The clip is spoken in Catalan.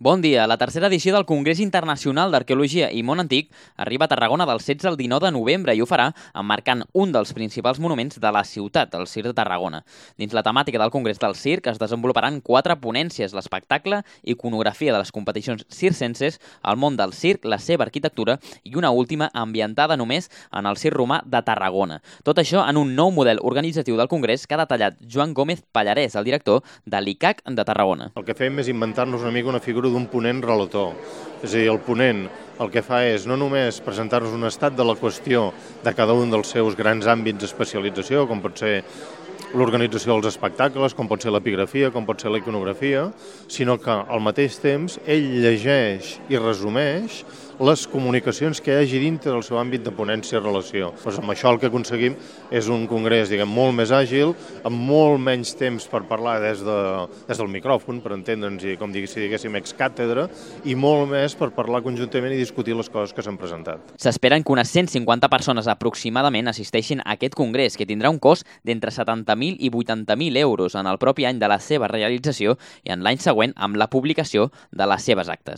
Bon dia. La tercera edició del Congrés Internacional d'Arqueologia i Món Antic arriba a Tarragona del 16 al 19 de novembre i ho farà emmarcant un dels principals monuments de la ciutat, el Circ de Tarragona. Dins la temàtica del Congrés del Circ es desenvoluparan 4 ponències: l'espectacle, iconografia de les competicions circenses, el món del circ, la seva arquitectura i una última ambientada només en el Circ Romà de Tarragona. Tot això en un nou model organitzatiu del Congrés que ha detallat Joan Gómez Pallarès, el director de l'ICAC de Tarragona. El que fem és inventar-nos una mica una figura d'un ponent relator. És a dir, el ponent el que fa és no només presentar-nos un estat de la qüestió de cada un dels seus grans àmbits d'especialització, com pot ser l'organització dels espectacles, com pot ser l'epigrafia, com pot ser la iconografia, sinó que al mateix temps ell llegeix i resumeix les comunicacions que hi hagi dintre del seu àmbit de ponència-relació. Doncs amb això el que aconseguim és un congrés, molt més àgil, amb molt menys temps per parlar des del micròfon, per entendre'ns, i com si diguéssim ex càtedra, i molt més per parlar conjuntament i discutir les coses que s'han presentat. S'esperen que unes 150 persones aproximadament assisteixin a aquest congrés, que tindrà un cost d'entre 70.000 i 80.000 euros en el propi any de la seva realització i en l'any següent amb la publicació de les seves actes.